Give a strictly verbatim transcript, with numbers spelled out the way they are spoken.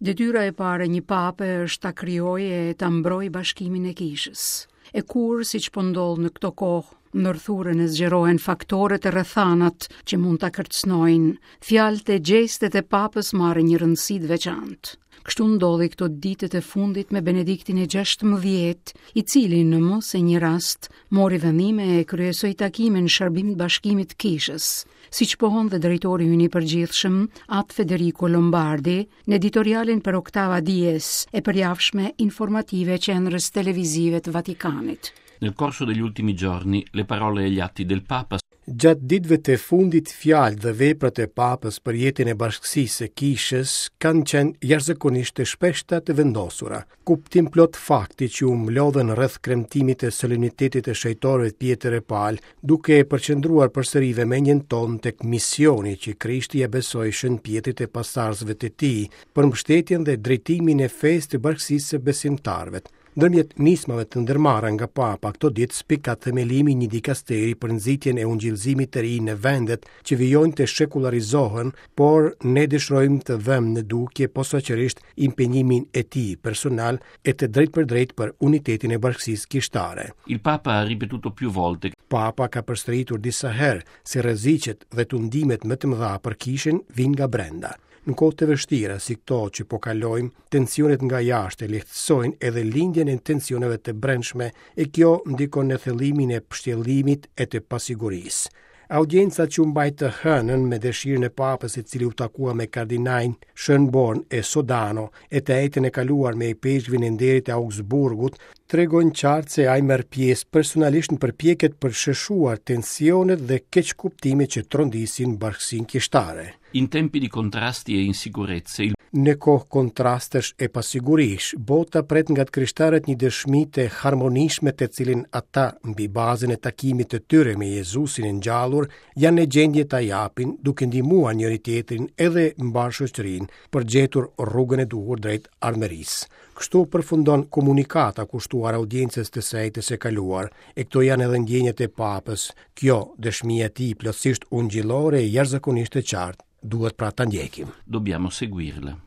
Detyra e parë e një pape është ta krijojë e ta mbrojë bashkimin e kishës. E kur, siç po ndodh në këto kohë, ndërthuren e zgjerohen faktorët e rrethanat që mund ta kërcënojnë, fjalët e gjestet e papës marrin një rëndësi të veçantë. Kështu ndodhi këto ditët e fundit me Benediktin e gjashtëmbëdhjetë, i cili në mos e një rast mori vendime e kryesoi takime në shërbim të bashkimit të kishës, siç pohon dhe drejtori ynë i përgjithshëm, At Federico Lombardi, në editorialin për Oktava Dies, e përjavshme informative e qendrës televizive të Vatikanit. Nel corso degli ultimi giorni le parole e gli atti del Papa Gjatë ditëve të fundit, fjalët dhe veprat e Papës për jetën e bashkësisë së kishës kanë qenë jashtëzakonisht të shpeshta, të vendosura. Kuptim plot fakti që u mblodhën rreth kremtimit të solemnitetit të shenjtorëve Pjetër e Pal, duke e përqendruar përsëri vëmendjen tonë tek misioni që Krishti ia besoi Shën Pjetrit e pasardhësve të tij për mbështetjen dhe drejtimin e fesë të bashkësisë së besimtarëve. Ndërmjet nismave të ndërmarra nga Papa këto ditë spikat themelimi i një dikasteri për nxitjen e ungjillzimit të ri në vendet që vijojnë të shekullarizohen, por ne dëshirojmë të vëmë në dukje posaçërisht impenjimin e tij personal e të drejtpërdrejt për unitetin e bashkësisë kishtare. Il Papa ha ripetuto più volte Papa ka përsëritur disa herë se rreziqet dhe tundimet më të mëdha për kishën vijnë nga brenda. Në kohë të vështira si këto që po kalojmë, tensionet nga jashtë e lehtësojnë edhe lindjen e tensioneve të brendshme, e kjo ndikon në thellimin e pështjellimit e të pasigurisë. Audienca që u mbajt të hënën me dëshirën e Papës, i cili u takua me kardinajn Schönborn e Sodano, e të enjten e kaluar me ipeshkvin e nderit e Augsburgut, tregojnë qartë se ai merr pjesë personalisht në përpjekjet për sheshuar tensionet dhe keqkuptimet që trondisin bashkësinë kishtare. In tempi di contrasti e insicurezze, il Në kohë kontrastesh e pasigurish, bota pret nga të krishterët një dëshmi të harmonishme të cilin ata, mbi bazën e takimit të tyre me Jezusin e ngjallur, janë në gjendje ta japin, duke ndihmuar njëri tjetrin edhe mbarë shoqërinë për gjetur rrugën e duhur drejt ardhmërisë. Kështu përfundon komunikata kushtuar audiencës të së enjtes së kaluar, e këto janë edhe ndjenjat e Papës. Kjo dëshmia e tij plotësisht ungjillore e jashtëzakonisht e qartë, duhet pra ta ndjekim. Dobbiamo seguirla.